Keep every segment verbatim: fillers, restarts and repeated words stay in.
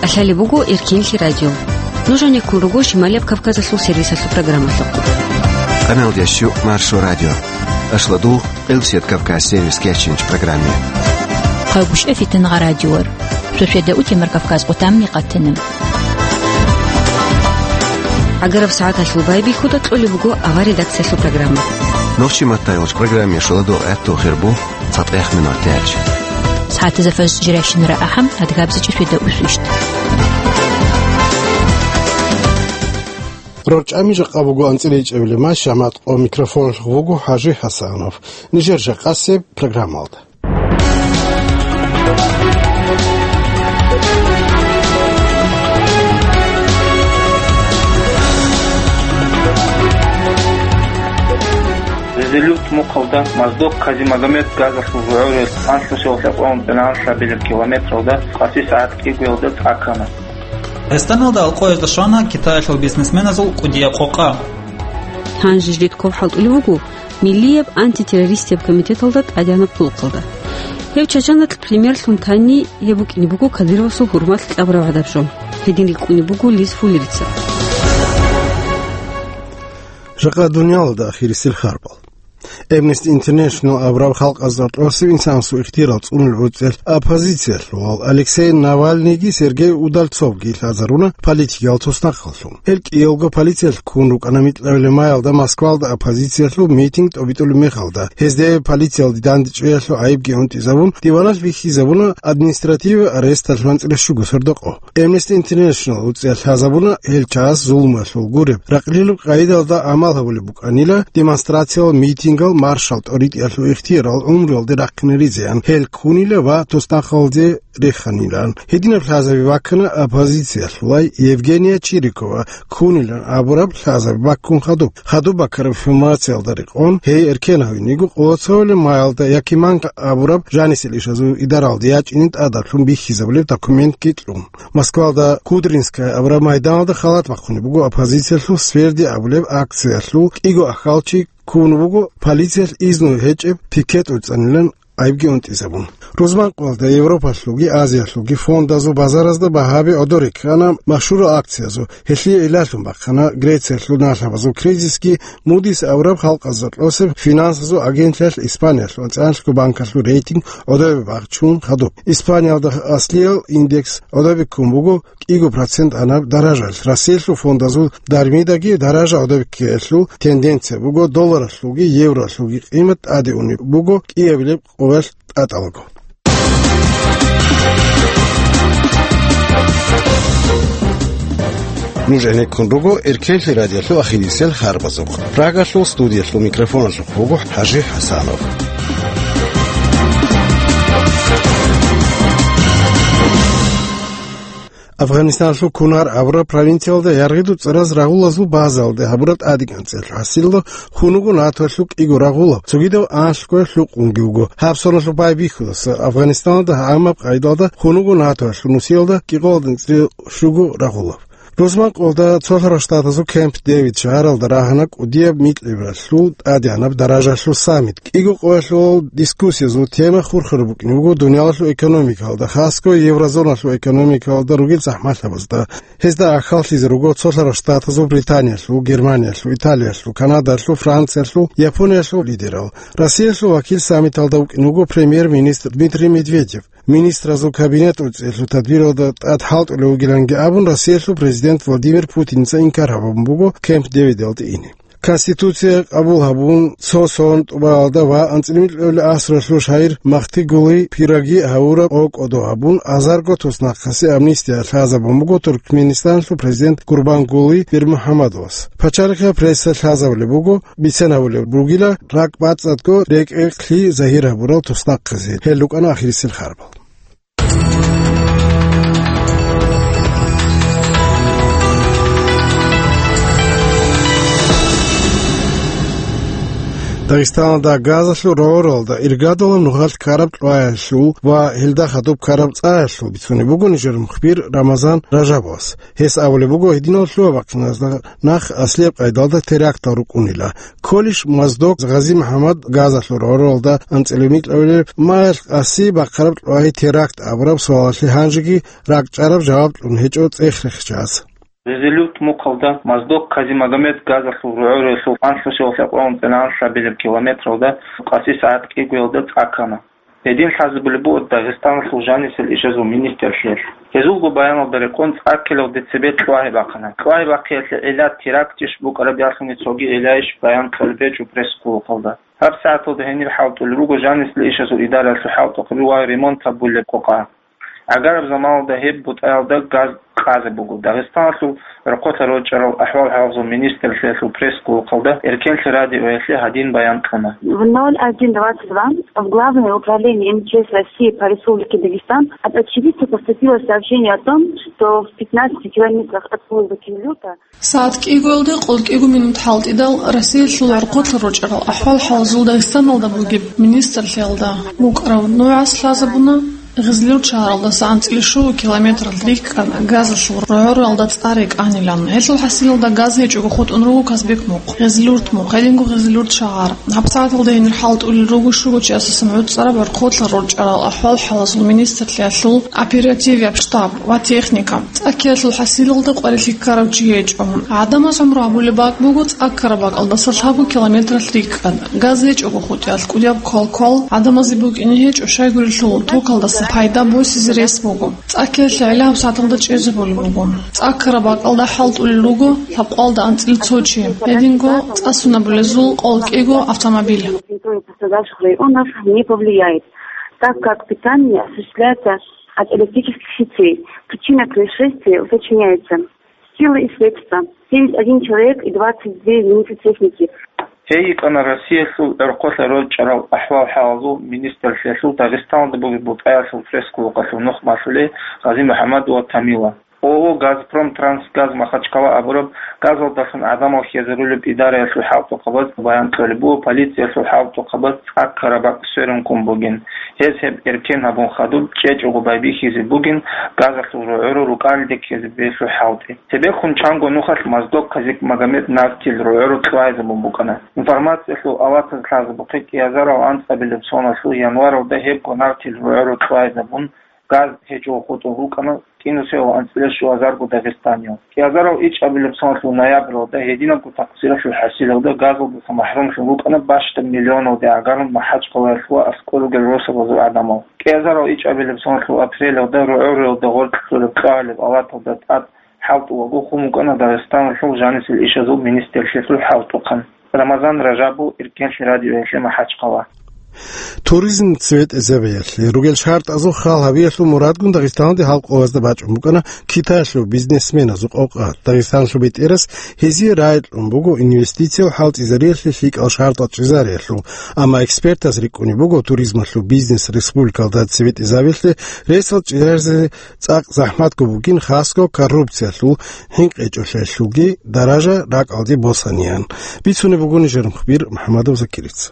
ТӀалъалеб буго Эркенлъи радио. Нуж гьанеккун руго Шималияб Кавказалъул сервисалъул программалъухъ. Къаналдияс щук Маршо радио. Ашладул Къилбсият Кавказ сервис кечинч программе. Хъагушев Фитнагъа радиор. Сосиеда утемар Кавказ къутамни къатана. ГӀагараб сагӀаталъул байбихьуда кьолеб буго авар редакциялъул программа. Нохчи маттайолч программе шоладул гӀатту хирбу цатӀех минутач. СагӀатазда фажр жирайщинара ахӀам, адгабзичӀи светда усвищт. РорчӀами жакъа буго анцӀила ичӀабилеб май шамат къо микрофон вуго ХӀажи ХӀасанов. Нижер жакъасеб программалда. Резолют мухъалда Моздок Казимагомед газалъул гӀорел панлъусев лъабкъоялда километралда къаси сагӀат кӀигоялда тӀакана. Эстониялда алкъоязда щвана Китаялъул бизнесменазул кӀудияб къокъа. Гьанже жидед ков хӀалтӀулев вуго Миллияб антитеррористияб комитеталда тӀадегӀанаб хъулухъалда. Гьев Чачаналъ премьерлъун танни, гьеб букӀине буго Кадыровасул гьурмалъ кьабураб гӀадаб жо. Гьедин рикӀкӀуне буго Лиз Фуллерица. Жакъа дуниялалда ахирисел харбал. Amnesty International абураб халкъазда тӀосев инсанасул ихтияр цӀунулел гӀуцӀиялъ оппозициялъул Алексей Навальныйги Сергей Удальцовги лъазаруна политикиял туснахъаллъун. Гьел кӀиялго полициялъ ккун рукӀана микьабилеб майалда Москвалда оппозициялъул митинг тӀобитӀулеб мехалда. Гьезде полициялде дандечӀвеялъул гӀайибги унтӀизабун, диваналъ бихьизабуна административный аресталъ анцӀила щуго сордо къо. Amnesty International гӀуцӀиялъ лъазабуна гьел чагӀаз зулмуялъул гуреб, ракълилаб къагӀидалда гӀамал гьабулеб букӀанила, демонстрациял, митингал, маршал тӀоритӀиялъул ихтиярал гӀумруялде рахъинаризеян гьел ккунила ва туснахъалде реханилан. Гьединаб лъазаби баккана оппозициялъулай Евгения Чирикова ккунилан абураб лъазаби баккун хадуб. Хадуб баккараб информациялда рекъон, гьей эркен гьавиниго, къоло цоялъ майалда Якиманка абураб жанисел ишазул идаралде ячӀине тӀадаблъун бихьизабулеб документги кьун. Москвалда Кудринская абураб майданалда халат бахъунеб буго оппозициялъул Сверди абулеб акциялъул кӀиго ахьалчи ккун вуго, полициялъ изну гьечӀеб пикет уцӀанилан гӀайибги унтӀизабун. Рузманкъоялда Европалъулги Азиялъулги фондазул базаразда багьаби гӀодор реккана машгьурал акциязул, гьелъие гӀиллалъун бахъана Грециялъул налъабазул кризисги, Мудис абураб халкъазда тӀосеб финансазул агентлъиялъ Испаниялъул, Националлъго банкалъул рейтинг гӀодобе бахчун хадуб. Испаниялда аслиял индекс гӀодобе ккун буго кӀиго процент анаб даражалъ, Россиялъул фондазул дармидаги даража гӀодобе ккеялъул тенденция буго, долларалъулги евролъулги къимат тӀаде унеб буго кӀиабилеб къоялъ тӀатӀалаго. Нуж гӀенеккун руго Эркенлъи радиолъул ахирисел харбазухъ. Прагалъул студиялъул микрофоналъухъ вуго ХӀажи ХӀасанов. Афганистаналъул Кунар абураб провинциялда яргъиду цӀараз рагъулазул базалде гьабураб тӀадегӀанцӀиялъул хӀасилалда хьунуго НАТОялъул кӀиго рагъулаб, цогидаб анлъго лъукъунги вуго. Гьаб соналъул байбихьудаса Афганистаналда гӀамаб къайдалда хьунуго НАТОялъул нусиялда кӀикъоялда анцӀила щуго рагъулаб. Рузманкъоялда Цолъарал Штатазул Кемп Дэвид шагьаралда рагьана кӀудияб микьабилеб тӀадегӀанаб даражалъул саммит. КӀиго къоялъул дискуссиязул тема хурхараб букӀине буго дуниялалъул экономикалда, хасго еврозоналъул экономикалда ругел захӀмалъабазда. Гьезда ахӀаллъизе руго Цолъарал Штатазул, Британиялъул, Германиялъул, Италиялъул, Канадаялъул, Франциялъул, Япониялъул лидерал. Россиялъул вакил саммиталда вукӀине вуго премьер-министр Дмитрий Медведев. Министразул кабинет уцӀиялъул тадбиралда тӀад хӀалтӀулев вугиланги абун, Россиялъул президент Владимир Путинца инкар гьабун буго Кемп Дэвидалде ине. Конституция къабул гьабун, цо сон тӀубаялда ва анцӀила микьабилеб асралъул шагьир Махтигулы Пироги гьавураб къо кӀодо гьабун, азарго туснахъасе амнистия лъазабун буго Туркменистаналъул президент Гурбангулы Бермухаммадовас. Пачалихъ пресса лъазабулеб буго, бицен гьабулеб бугила ракӀбацӀцӀадго рекӀекълъи загьир гьабурал туснахъазе. Гьел рукӀана ахирисел харбал. Дагъистаналда газалъул рогӀоралда иргадулаб нухалъ ккараб кьваялъул ва гьелда хадуб ккараб цӀаялъул бицунеб буго нижер мухбир Рамазан Ражабовас. Гьес абулеб буго, гьединал лъугьа-бахъиназда нах аслияб къайдалда терактал рукӀунила. Кколищ Моздок Гъази-МухӀаммад газалъул рогӀоралда анцӀила микьабилеб магӀарул къаси бахъараб кьвай теракт абураб суалалъе гьанжеги ракӀчӀараб жаваб кьун гьечӀо цӀех-рехчаз. Гъизилурт мухъалда Моздок Казимагомед газалъул рогӀоралъул анлънусиялъ акьван цӀинан лъабилеб километралда къаси сагӀат кӀигоялда цӀа ккана. Гьедин лъазабулеб буго Дагъистаналъул жанисел ишазул министрлъиялъ. Гьезулго баяналда рекъон цӀа ккелалде цебе кьвагьи бахъана. Кьвагьи бахъиялъе гӀилла терактищ букӀараб ялъуни цоги гӀиллайищ баян кьолеб гьечӀо пресс-клубалда. Гьаб сагӀаталда гьенир хӀалтӀулел руго жанисел ишазул идараялъул хӀалтӀухъ ва ремонт гьабулеб къокъа. ГӀагараб заманалда гьеб бутӀаялда газ къазе буго. Дагъистаналъул гӀорхъолъа рорчӀарал ахӀвал-хӀалалзул министрлъиялъул пресс-клубалда Эркенлъи радиоялъе гьадин баян кьуна. В ноль один двадцать два в Главное управление М Ч С России по Республике Дагестан от очевидца поступило сообщение о том, что в пятнадцати километрах от поезда Кизилюрта. СагӀат кӀигоялде къолкӀиго минут хӀалтӀидал Россиялъул гӀорхъолъа рорчӀарал ахӀвал-хӀалалзул Дагъистаналда бугеб министрлъиялда букӀараб нугӀас лъазабуна Гъизилурт шагьаралдаса анцӀила щуго километралъ рикӀкӀад газалъул рогӀоралда цӀа рекӀанилан. Гьелъул хӀасилалда газ гьечӀого хутӀун руго Казбек мухъ, Гъизилурт мухъ, гьединго Гъизилурт шагьар. Гьаб сагӀаталда гьенир хӀалтӀулел руго щуго чиясасан гӀуцӀараб гӀорхъолъа рорчӀарал ахӀвал-хӀалалзул министрлъиялъул оперативияб штаб ва техника. ЦӀа ккеялъул хӀасилалда къварилъи ккарав чи гьечӀо. ГӀадамаз гӀумру гьабулеб бакӀ буго цӀа ккараб бакӀалдаса лъабго километралъ рикӀкӀад. Газ гьечӀого хутӀиялъ кӀудияб квал-квал гӀадамазе букӀине гьечӀо, щайгурелъул токалдаса пайда босизе рес буго. ЦӀа ккеялъе гӀилла гьаб сагӀаталда чӀезабулеб буго. ЦӀа ккараб бакӀалда хӀалтӀулел руго лъабкъоялда анцӀила цо чи, гьединго цӀа сунабулезул къолкӀиго автомобиль. Температура пострадавших районов не повлияет, так как питание осуществляется от электрических сетей. Причина происшествия уточняется. Силы и средства. Семьдесят один человек и двадцать две единицы техники. Гьей йикӀана Россиялъул гӀорхъолъа рорчӀарал ахӀвал-хӀалалзул министрлъиялъул Дагъистаналда бугеб бутӀаялъул пресс-клубалъул нухмалъулей Гъази-МухӀаммад ва Тамила. О О Газпром Трансгаз Махачкала абураб газалдалъун гӀадамал хьезарулеб идараялъул хӀалтӀухъабаз баян кьолеб буго полициялъул хӀалтӀухъабаз цӀа ккараб бакӀ сверун ккун бугин. Гьез гьеб эркен гьабун хадуб чӀечӀого байбихьизе бугин газалъул рогӀоро рукӀалде ккезе бегьлъу хӀалтӀи. Цебехун чанго нухалъ Моздок Казимагомед нартил рогӀоро кьвайзабун букӀана. Информациялъул аватаз лъазабухъе кӀиазарал анцӀабилеб соналъул январалда гьебго нартил рогӀоро кьвайзабун газ гьечӀого хутӀун рукӀана кӀинусиялъул анцӀила щуазарго дагъистаниял. КӀиазарал ичӀабилеб соналъул ноябралда гьединабго такъсиралъул хӀасилалда газалдаса махӀрумлъун рукӀана бащдаб миллионалде гӀагарун МахӀачкъалаялъ ва аскӀор ругел росабазул гӀадамал. КӀиазарал ичӀабилеб соналъул апрелалда рогӀоралда гъоркьлъулеб кьвагьалеб аваталда тӀад хӀалтӀулаго хун букӀана Дагъистаналъул жанисел ишазул министрлъиялъул хӀалтӀухъан. Рамазан Ражабов, Эркенлъи радиоялъе, МахӀачкъала. Туризм цебетӀезабиялъе ругел шартӀазул хал гьабиялъул мурадгун Дагъистаналде гьал къоязда бачӀун букӀана Китаялъул бизнесменазул къокъа. Дагъистаналъул бетӀерас гьезие рагӀи кьун буго инвестициял хӀалтӀизариялъе лъикӀал шартӀал чӀезариялъул, амма экспертаз рикӀкӀунеб буго туризмалъул бизнес республикалда цебетӀезабиялъе ресал чӀезаризе цӀакъ захӀматго бугин, хасго коррупциялъул хӀинкъичӀолъиялъулги даража ракӀалде босаниян. Бицунеб буго нижер мухбир МухӀаммадов Закирица.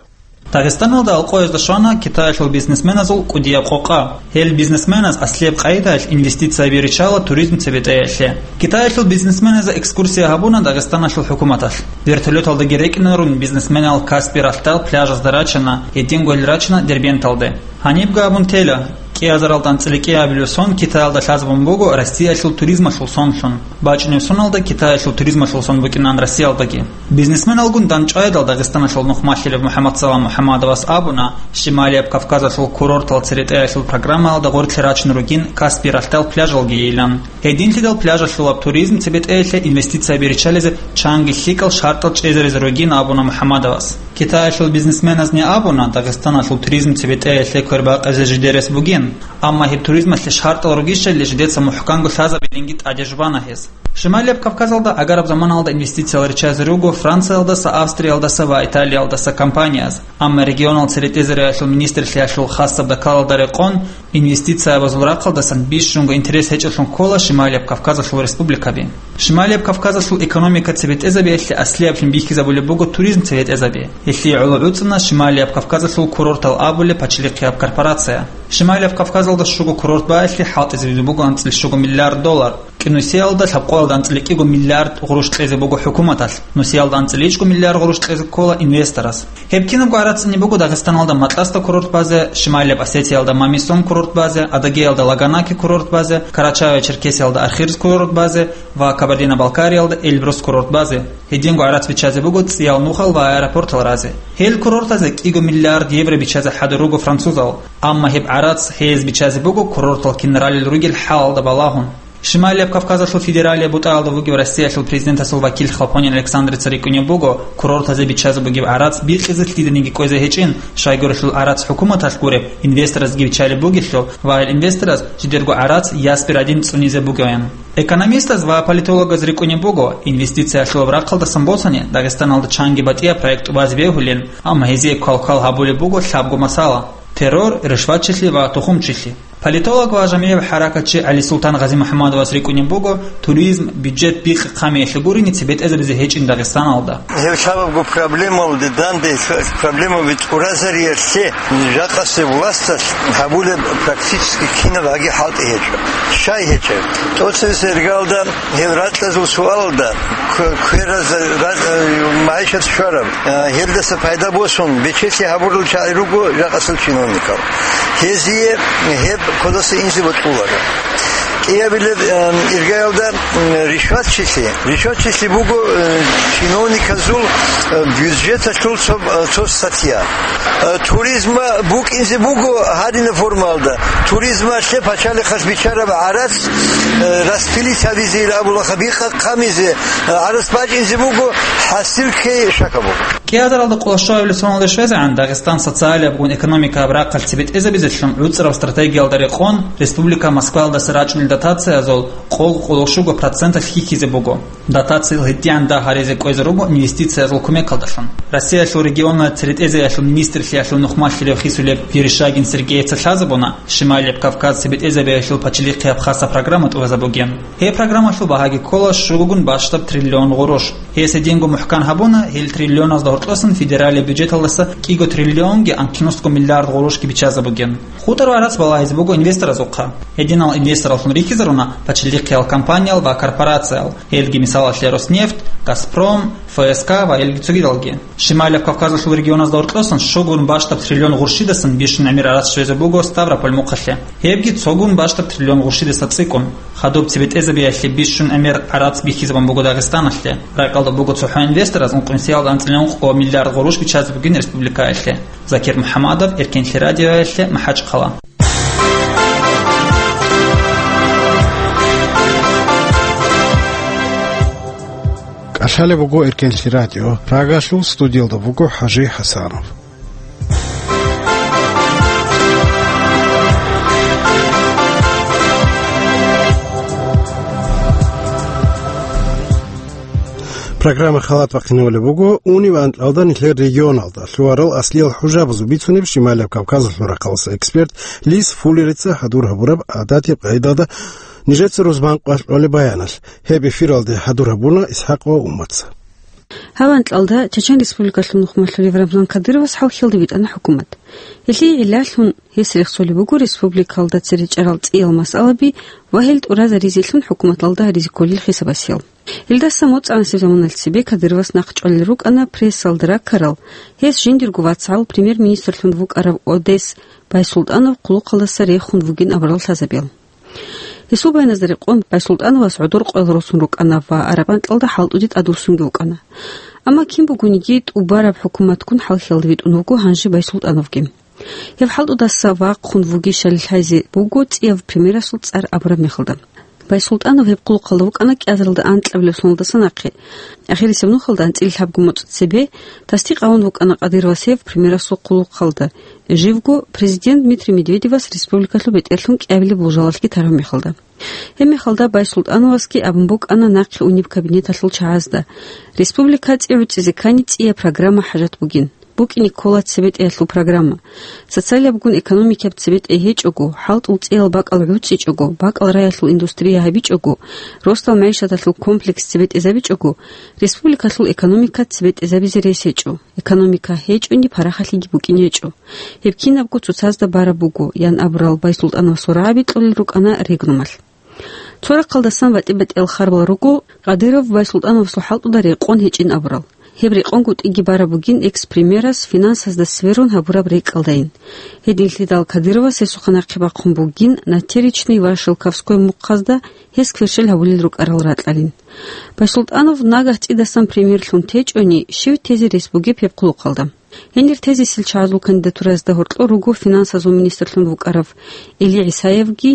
Дагъистаналда гьал къоязда щвана Китаялъул бизнесменазул кӀудияб къокъа. Гьел бизнесменаз аслияб къайдаялъ инвестицияби риччала туризм цебетӀеялъе. Китаялъул бизнесменазда экскурсия гьабуна Дагъистаналъул хӀукуматалъ. Вертолеталдаги рекӀинарун бизнесменал Каспий ралъдал пляжазда рачана, гьединго гьел рачана Дербенталде. Гьаниб гьабун тела, кӀиазарал анцӀила кӀиабилеб сон Китаялда лъазабун буго Россиялъул туризмалъул сонлъун. БачӀунеб соналда Китаялъул туризмалъул сон букӀинан Россиялдаги. Бизнесменалгун дандчӀвайдал Дагъистаналъул нухмалъилев МухӀаммадсалам МухӀаммадовас абуна, Шималияб Кавказалъул курортал церетӀеялъул программаялда гъорлъи рачун ругин Каспий ралъдал пляжалги йилан. Гьединлъидал пляжалъулаб туризм цебетӀеялъе инвестицияби риччализе чанги лъикӀал шартӀал чӀезаризе ругин абуна МухӀаммадовас. Китаялъул бизнесменазни абуна, Дагъистаналъул туризм цебетӀеялъе квербакъизе жидерес бугин, амма гьеб туризмалъе шартӀал ругищали жидеца мухӀканго лъазабилинги тӀадежбана гьез. Шималияб Кавказалда агараб заманалда инвестициял риччазе руго Франциялдаса, Австриялдаса ва Италиялдаса компанияз, амма регионал церетӀезариялъул министрлъиялъул хасаб докладалда рекъон, инвестициябазул рахъалдасан бищунго интерес гьечӀолъун ккола Шималияб Кавказалъул республикаби. Шималияб Кавказалъул экономика цебетӀезабиялъе аслияблъун бихьизабулеб буго туризм цебетӀезаби. Гьелъие гӀоло гӀуцӀана Шималияб Кавказалъул курортал абулеб пачалихъияб корпорация. Шималияб Кавказалда щуго курорт багьилъи хӀалтӀизабизе буго анцӀила щуго миллиард доллар. КӀинусиялда лъабкъоялда анцӀила кӀиго миллиард гъурущ кьезе буго хӀукуматалъ, нусиялда анцӀила ичӀго миллиард гъурущ кьезе ккола инвесторас. Гьеб кинабго гӀарац цӀуне буго Дагъистаналда Макьасда курорт базе, Шималияб Осетиялда Мамисон курорт базе, Адыгеялда Лаганаки курорт базе, Карачаево-Черкесиялда Архирс курорт базе ва Кабардино-Балкариялда Эльбрус курорт базе. Гьединго гӀарац биччазе буго цӀиял нухал ва аэропортал разе. Гьел курортазе кӀиго миллиард евро биччазе хӀадур руго французал, амма гьеб гӀарац гьез биччазе буго курортал кин ралел ругел хӀалалда балагьун. Шималияб Кавказалъул федералияб бутӀаялда вугев Россиялъул президентасул вакил Хлопонин Александрица рикӀкӀунеб буго, курортазе биччазе бугеб гӀарац бикьизе лъиданиги кӀвезе гьечӀин, щайгурелъул гӀарац хӀукуматалъ гуреб, инвесторасги биччалеб бугелъул ва гьел инвесторас жидерго гӀарац ясби радин цӀунизе бугоян. Экономистаз ва политологаз рикӀкӀунеб буго, инвестициялъулаб рахъалдасан босани, Дагъистаналда чанги батӀияб проект тӀубазе бегьулин, амма гьезие квалквал гьабулеб буго лъабго масала: террор, ришватчилъи ва тухумчилъи. Политолог ва жамигӀиб хӀаракатчи ГӀалисултан Гъазимухьаммадовас рикӀкӀунеб буго, туризм, бюджет бихъ-хъамиялъе гурони цебетӀезабизе гьечӀин Дагъистаналда. Гьеб лъабабго проблемалде данде проблемаби тӀуразариялъе жакъасеб власталъ гьабулеб практически кинаб гьаги хӀалтӀи гьечӀо. Щай гьечӀеб? ТӀоцебесеб иргаялда гьеб ракьазул суалалда кв-, квераз ра-, э, магӀишат щвараб, э, гьелдаса пайда босун бечелъи гьабурал чагӀи руго жакъасул чиновникал. Гьезие гьеб кодаса инзе бокьуларо. КӀиабилеб, э, иргаялда, м, ришватчилъи. Ришватчилъи буго, э, чиновниказул, э, бюджеталъул цо, э, цо статья. Э, туризма букӀинзе буго гьадинаб формалда. Туризмалъе пачалихъалъ биччараб гӀарац, э, распилить гьабизе, ил абулаха, бихъа-хъамизе, э, гӀарац бачӀинзе буго, хӀасил ккей шака буго. КӀиазаралда къоло щуабилеб соналде щвезегӀан Дагъистан социалиябгун экономикаяб рахъалъ цебетӀезабизелъун гӀуцӀраб стратегиялда рекъон республика Москваялдаса рачӀунел дотациязул къо-, къоло щуго проценталъ хьихьизе буго. Дотациялъ гьитӀигӀан дагь гьаризе кӀвезе руго инвестициязул кумекалдалъун. Россиялъул регионалда церетӀезаялъул министрлъиялъул нухмалъулев хисулеб Верещагин Сергеевца лъазабуна, Шималияб Кавказ цебетӀезабиялъул пачалихъияб хасаб программа тӀубазабугин. Гьеб программалъул багьаги ккола щугогун бащдаб триллион гъурущ. Гьес гьединго мухӀкан гьабуна, гьел триллионазда гьоркьосан федералияб бюджеталдаса кӀиго триллионги анкьнусго миллиард гъурущги биччазабугин. ХутӀараб гӀарац балагьизе буго инвесторазухъа. Гьединал инвестораллъун рихьизаруна пачалихъиял компаниял ва корпорациял, гьелги мисалалъе Роснефть, Газпром, Ф С К ва гьелги цогидалги. Шималияб Кавказалъул регионазда гьоркьосан щугун бащдаб триллион гъурщидасан бищун гӀемер гӀарац щвезе буго Ставрополь мухъалъе. Гьебги цогун бащдаб триллион гъурщидаса цӀикӀкӀун. Хадуб цебетӀезабиялъе бищун гӀемер гӀарац бихьизабун буго Дагъистаналъе. Ракьалда буго цохӀо инвестораз ункънусиялда анцӀила ункъго миллиард гъурущ биччазе бугин республикаялъе. Закир МухӀаммадов, Эркенлъи радиоялъе, МахӀачхъала. КӀалъалеб буго Эркенлъи радио. Прагалъул студиялда буго ХӀажи ХӀасанов. Программа халат бахъинавулеб буго унив анкьалда нилъер регионалда лъугьарал аслиял хӀужабазул бицунеб Шималияб Кавказалъул рахъалъ эксперт Лис Фуллерица хӀадур гьабураб гӀадатияб къайдалда нижеца рузман къвалъ кьолеб баяналъ. Гьеб эфиралде хӀадур гьабуна ИсхӀакъ ва Уммаца. Гьав анкьалда Чечен Республикалъул нухмалъулев Рамзан Кадыровас хӀалхьалде витӀана хӀукумат. Гьелъие гӀиллалъун гьес рехсолеб буго республикалда цере чӀарал цӀиял масъалаби ва гьел тӀуразаризелъун хӀукуматалда гьаризе кколел хисабасиял. Гьелдаса моцӀанасеб заманалъ цебе Кадыровас нахъчӀвалел рукӀана прессалда раккарал, гьес жиндирго вацгӀал премьер-министрлъун вукӀарав Одес Байсултанов хъулухъалдаса рехун вугин абурал лъазабиял. Гьесул баяназда рекъон, Байсултановас гӀодор къоял росун рукӀана ва араб анкьалда хӀалтӀуде тӀадвуссунги вукӀана. Амма кин бугониги тӀубараб хӀукуматгун хӀалхьалда витӀун вуго гьанже Байсултановги. Гьеб хӀалтӀудаса вахъун вугищали лъазе буго цӀияв премьерасул цӀар абураб мехалда. Байсултанов гьеб хъулухъалда вукӀана кӀиазаралда анкьабилеб соналдаса нахъе. Ахирисеб нухалда анцӀила лъабго моцӀ цебе тасдикъ гьавун вукӀана Кадыровас гьев премьерасул хъулухъалда, живго президент Дмитрий Медведевас республикалъул бетӀерлъун кӀиабилеб болжалалъги тарав мехалда. Гьеб мехалда Байсултановасги абун букӀана нахъе унеб кабинеталъул чагӀазда: «Республика цӀи гӀуцӀизе ккани цӀияб программа хӀажат бугин». букӀине ккола цебетӀеялъул программа. Социалабгун экономикаб цебетӀей гьечӀого, хӀалтӀул цӀиял бакӀал гӀуцӀичӀого, бакӀал раялъул индустрия гьабичӀого, росдал мягӀишаталъул комплекс цебетӀезабичӀого, республикалъул экономика цебетӀезабизе рес гьечӀо. Экономика гьечӀони, парахалъиги букӀин гьечӀо. Гьеб кинабго цоцазда бараб буго, ян абурал Байсултановасул рагӀаби кьолел рукӀана регрумалъ. Цо рахъалдасан батӀи-батӀиял харбал руго Кадыров Байсултановасул хӀалтӀуда рекъон гьечӀин абурал. Гьеб рекъонгутӀиги бараб бугин экс-премьерас финансазда сверун гьабураб рекӀкӀалдайин. Гьединлъидал Кадыровас гьесухъа нахъе бахъун бугин Натеричный ва Шелковской мухъазда гьес кверщел гьабулел рукӀарал ракьалин. Байсултанов нагагь цӀидасан премьерлъун течӀони, щив тезе рес бугеб гьеб хъулухъалда? Гьенир тезесел чагӀазул кандидатураязда гьоркьор руго финансазул министрлъун вукӀарав Эли ГӀисаевги,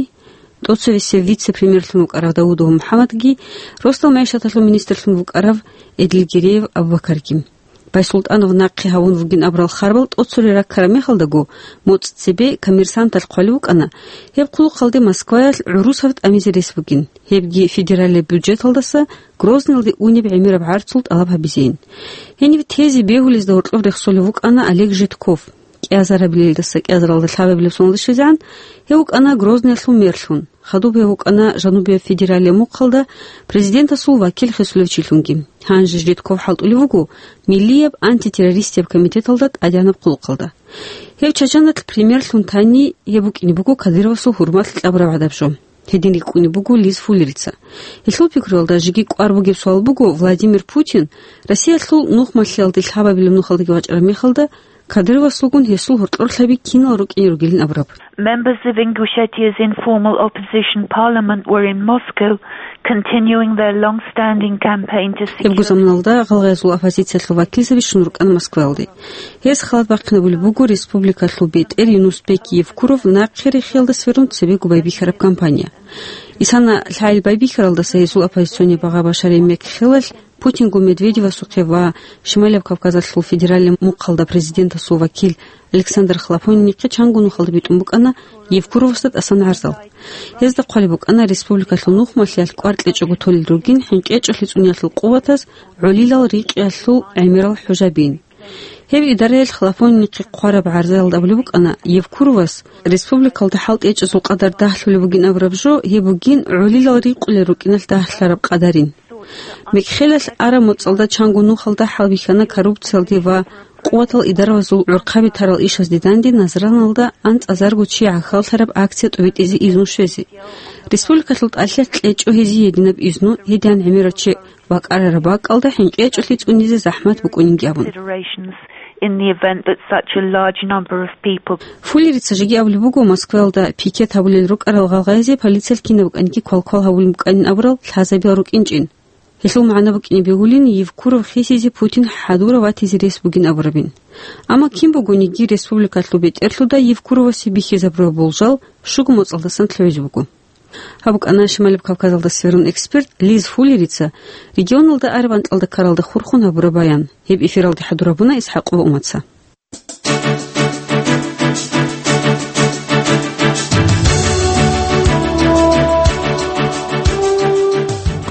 тӀоцевесев вице-премьерлъун вукӀарав Даудов МухӀаммадги, росдал мягӀишаталъул министрлъун вукӀарав Эдилгиреев Абубакарги. Байсултанов нахъе гьавун вугин абурал харбал тӀоцолел раккараб мехалдаго, моцӀ цебе Коммерсанталъ хъвалев вукӀана, гьеб хъулухъалде Москваялъ гӀурусав тӀамизе рес бугин, гьебги федералияб бюджеталдаса Грозныйалде унеб гӀемераб гӀарцул тӀалаб гьабизейин. Гьениб тезе бегьулезда гьоркьоб рехсолев вукӀана Олег Житков. КӀиазарабилелдаса кӀиазаралда лъабабилеб соналда щвезегӀан, гьев вукӀана Грозныялъул мэрлъун, хадуб гьев вукӀана жанубияб федералияб мухъалда президентасул вакил хисулев чилъунги. Гьанже Житков хӀалтӀулев вуго Миллияб антитеррористияб комитеталда тӀадегӀанаб хъулухъалда. Гьев Чачаналъ премьерлъун тани, гьеб букӀине буго Кадыровасул гьурмалъ кьабураб гӀадаб жо. Гьедин рикӀкӀунеб буго Лиз Фуллерица. Гьелъул пикруялда жеги кӀвар бугеб суал буго Владимир Путин Россиялъул нухмалъиялде лъабабилеб нухалдаги вачӀараб мехалда, Кадыровасулгун гьесул гьоркьорлъаби кинал рукӀине ругилин абураб. Members of Ingushetia's informal opposition parliament were in Moscow, continuing their long-standing campaign to Гьебго secure заманалда гъалгъаязул оппозициялъул вакилзаби щун рукӀана Москваялде. Гьез халат бахъинабулеб буго республикалъул бетӀер Юнусбек Евкуров нахъе рехиялда сверун цебего байбихьараб кампания. Исана лъагӀел байбихьаралдаса гьесул оппозиционный багъа башарай мекхелалъ Путинго Медведевасухъе ва Шималияб Кавказалъул федералияб мухъалда президентасул вакил Александр Хлопонинихъе чанго нухалда битӀун букӀана Евкуровасда тӀасан гӀарзал. Гьезда хъвалеб букӀана республикалъул нухмалъиялъ кӀвар кьечӀого толел ругин хӀинкъечӀолъи цӀуниялъул къуватаз гӀолилал рикъиялъул гӀемерал хӀужабин. Гьеб идараялъ Хлопонинихъе хъвараб гӀарзаялда абулеб букӀана Евкуровас, республикалда хӀалтӀи гьечӀезул къадар дагьлъулеб бугин абураб жо, гьеб бугин гӀолилал рикъулел рукӀиналъ дагьлъараб къадарин. Мекхелалъ араб моцӀалда чанго нухалда хӀалбихьана коррупциялде ва къуватал идаравазул гӀурхъаби тарал ишазде данде Назраналда анцӀазарго чи гӀахьаллъараб акция тӀобитӀизе изну щвезе. Республикалъул тӀалъи кьечӀо гьезие гьединаб изну, гьедин гӀемерав чи вакӀарараб бакӀалда хӀинкъечӀолъи цӀунизе захӀмат букӀунинги абун. Considerations in the event that such a large number of people Фуллерица жеги абулеб буго Москваялда пикет гьабулел рукӀарал гъалгъайзе полициялъ кинаб букӀаниги квалквал гьабулеб букӀанин абурал лъазабиял рукӀинчӀин. Гьелъул магӀна букӀине бегьулин, Евкуров хисизе Путин хӀадурав ватизе рес бугин абурабин. Амма кин бугониги республикалъул бетӀерлъуда Евкуровасе бихьизабураб болжал щуго моцӀалдасан лъугӀизе буго. Гьаб букӀана Шималиб Кавказалда сверун эксперт Лиз Фуллерица регионалда араб анкьалда ккаралда хурхун гьабураб баян. Гьеб эфиралде хӀадурабуна ИсхӀакъова Умаца.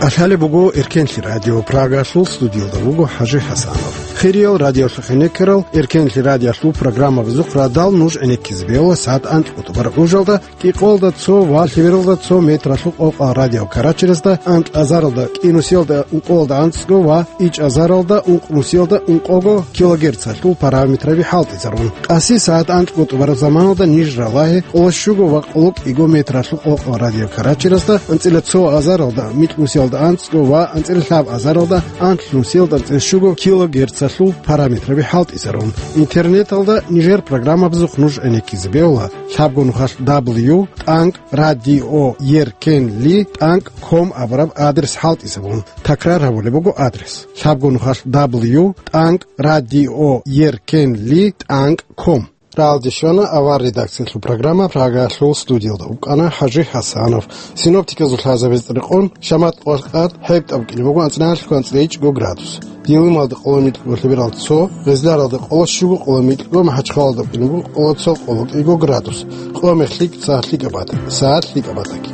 Къалъалеб буго Эркенлъи радио, Прагалъул студиялда вуго ХӀажи ХӀасанов. Хириял радиолъухъ гӀенеккарал, Эркенлъи радиолъул программабазухъ радал нуж гӀенеккизе бегьула сагӀат анкьго тӀубараб гӀужалда, кӀикъоялда цо ва лъебералда цо метралъул къокъал радио Карачерезда, анкь азаралда кӀинусиялда ункъоялда анцӀго ва ичӀ азаралда ункънусиялда ункъого килогерцалъул параметраби хӀалтӀизарун. Къаси сагӀат анкьго тӀубараб заманалда ниж ралагье къоло щуго ва къоло кӀиго метралъул къокъал радио Карачерезда, анцӀила цо азаралда микьнусиялда анцӀго ва анцӀила лъаб азаралда анлънусиялда анцӀила щуго килогерцалъул параметраби хӀалтӀизарун. Интернеталда нижер программабазухъ нуж гӀенеккизе бегьула лъабго нухалъ дабл ю тӀанкӀ радио Эркенли тӀанкӀ ком абураб адрес хӀалтӀизабун. Такрар гьабулеб буго адрес: лъабго нухалъ дабл ю тӀанкӀ радио Эркенли тӀанкӀ ком. Рагьалде щвана авар редакциялъул программа, Прагалъул студиялда вукӀана ХӀажи ХӀасанов. Синоптиказул лъазабазда рекъон, шамат къо къад хӀеб тӀад букӀине буго анцӀила хӀалхьго анцӀила ичӀго градус. Дилималда къоло микьго, лъебералда цо, Гъизларалда къоло щуго, къоло микьго, МахӀачхъалалда букӀине буго къоло цо, къоло кӀиго градус. Къо мехлъи цо лъикӀаб батӀа, сагӀат лъикӀаб батӀаги.